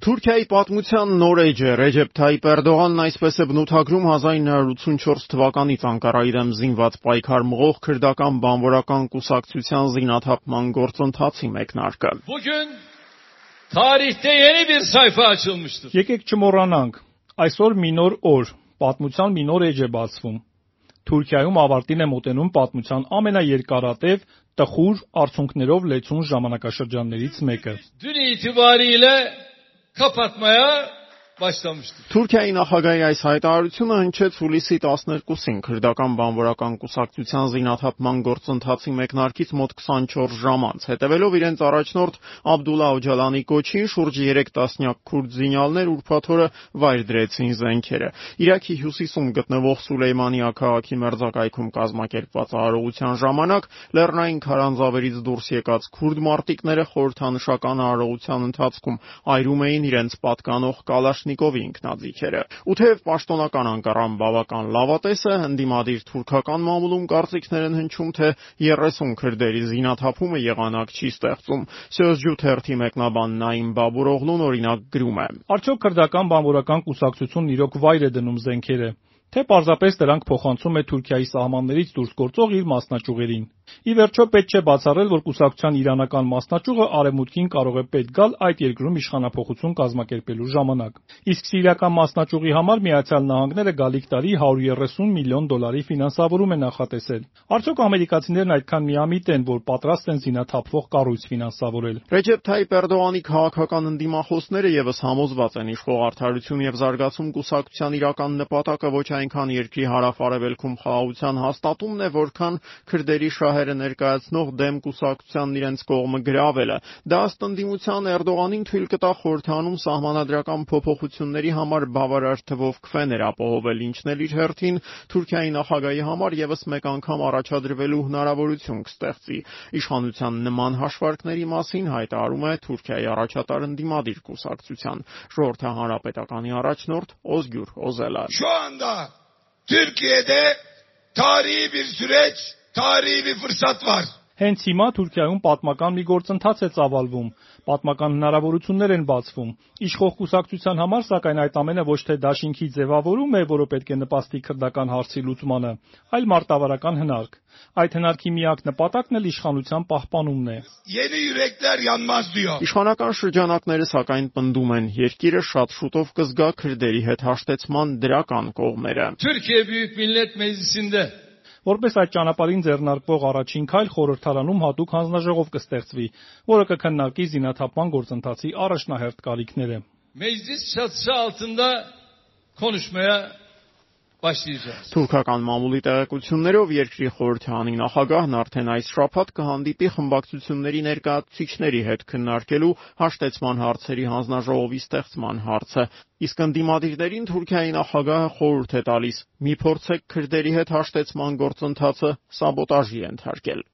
Թուրքիայի պատմության նոր էջ է Ռեջեփ Թայիփ Էրդողանն այսպես է բնութագրում 1984 թվականից Անկարայի դեմ զինված պայքար մղող քրդական բանվորական կուսակցության զինաթափման գործընթացի մեկնարկը։ Bugün tarihte yeni bir sayfa açılmıştır. Եկեք չմոռանանք, այսօր մի նոր օր, պատմության մի նոր էջ է բացվում։ Թուրքիայում ավարտին է մոտենում պատմության ամենաերկարատև, տխուր արդյունքներով լեցուն ժամանակաշրջաններից մեկը։ Dün itibariyle kapatmaya başlamıştır. Թուրքիայի նախագահի այս հայտարարությունը հնչեց հուլիսի 12-ին քրդական բանվորական կուսակցության զինաթափման գործընթացի մեկնարկից մոտ 24 ժամ անց, հետևելով իրենց առաջնորդ Աբդուլլա Օջալանի կոչին, շուրջ 3 տասնյակ քուրդ զինյալներ ուրբաթ օրը վայր դրեցին զենքերը։ Իրաքի հյուսիսում գտնվող Սուլեյմանիա քաղաքի մերձակայքում կազմակերպված արարողության ժամանակ լեռնային քարանձավերից դուրս եկած քուրդ մարտիկները խորհրդանշական արարողության ընթացքում այրում էին իրենց պատկանող Կալաշնիկովի ինքնաձիգերը։ Ու թեև պաշտոնական Անկարան բավական լավատես է, ընդդիմադիր թուրքական մամուլում կարծիքներ են հնչում, թե 30 քրդերի զինաթափումը եղանակ չի ստեղծում։ Սյոզջու թերթի մեկնաբան Նաիմ Բաբուրօղլուն օրինակ գրում է. Արդյոք քրդական բանվորական կուսակցությունն իրոք վայր է դնում զենքերը, թե պարզապես դրանք փոխանցում է Թուրքիայի սահմաններից դուրս գործող իր մասնաճյուղերին։ Ի վերջո պետք չէ բացառել, որ կուսակցության իրանական մասնաճյուղը արևմուտքին կարող է պետք գալ այդ երկրում իշխանափոխություն կազմակերպելու ժամանակ։ Իսկ սիրիական մասնաճյուղի համար Միացյալ Նահանգները գալիք տարի $130 միլիոն ֆինանսավորում է նախատեսել։ Արդյոք ամերիկացիներն այդքան միամիտ են, որ պատրաստ են զինաթափվող կառույց ֆինանսավորել։ Ռեջեփ Թայիփ Էրդողանի քաղաքական ընդդիմախոսները եւս համոզված են իշխող Արդարություն եւ զարգացում կուսակցության իրական նպատակը ոչ այնքան երկրի հարավ-արևելքում խաղաղության հաստատումն է, որքան քրդերի շահերը ներկայացնող դեմ կուսակցությանն իրենց կողմը գրավելը։ Դա ըստ ընդդիմության Էրդողանին թույլ կտա խորհրդանում սահմանադրական փոփոխությունների համար բավարար թվով քվեներ ապահովել, ինչն էլ իր հերթին Թուրքիայի նախագահի համար եւս մեկ անգամ առաջադրվելու հնարավորություն կստեղծի։ Իշխանության նման հաշվարկների մասին հայտարարում է Թուրքիայի առաջատար ընդդիմադիր կուսակցության ժողովրդահանրապետականի առաջնորդ Ozgur Öcalan. Şu anda Türkiye'de tarihi bir süreç, tarihi bir fırsat var. Հենց հիմա Թուրքիայում պատմական մի գործընթաց է ծավալվում, պատմական հնարավորություններ են բացվում։ Իշխող կուսակցության համար, սակայն, այդ ամենը ոչ թե դաշինքի ձևավորում է, որը պետք է նպաստի քրդական հարցի լուծմանը, այլ մարտավարական հնարք։ Այդ հնարքի միակ նպատակն էլ իշխանության պահպանումն է։ Yeni yürekler yanmaz diyor. Իշխանական շրջանակները սակայն պնդում են, երկիրը շատ շուտով կզգա քրդերի հետ հաշտեցման դրական կողմերը։ Türkiye Büyük Millet Meclisi'nde Որպես այդ ճանապարհին ձեռնարկվող առաջին քայլ խորհրդարանում հատուկ հանձնաժողով կստեղծվի, որը կքննարկի զինաթափման գործընթացի առաջնահերթ կարիքները։ meclis çatısı altında konuşmaya başlayacağız. Թուրքական մամուլի տեղեկություններով երկրի խորհրդարանի նախագահն արդեն այս շաբաթ կհանդիպի խմբակցությունների ներկայացուցիչների հետ քննարկելու հաշտեցման հարցերի հանձնաժողովի ստեղծման հարցը։ Իսկ ընդդիմադիրներին Թուրքիայի նախագահը խորհուրդ է տալիս՝ մի փորձեք քրդերի հետ հաշտեցման գործընթացը սաբոտաժի ենթարկել։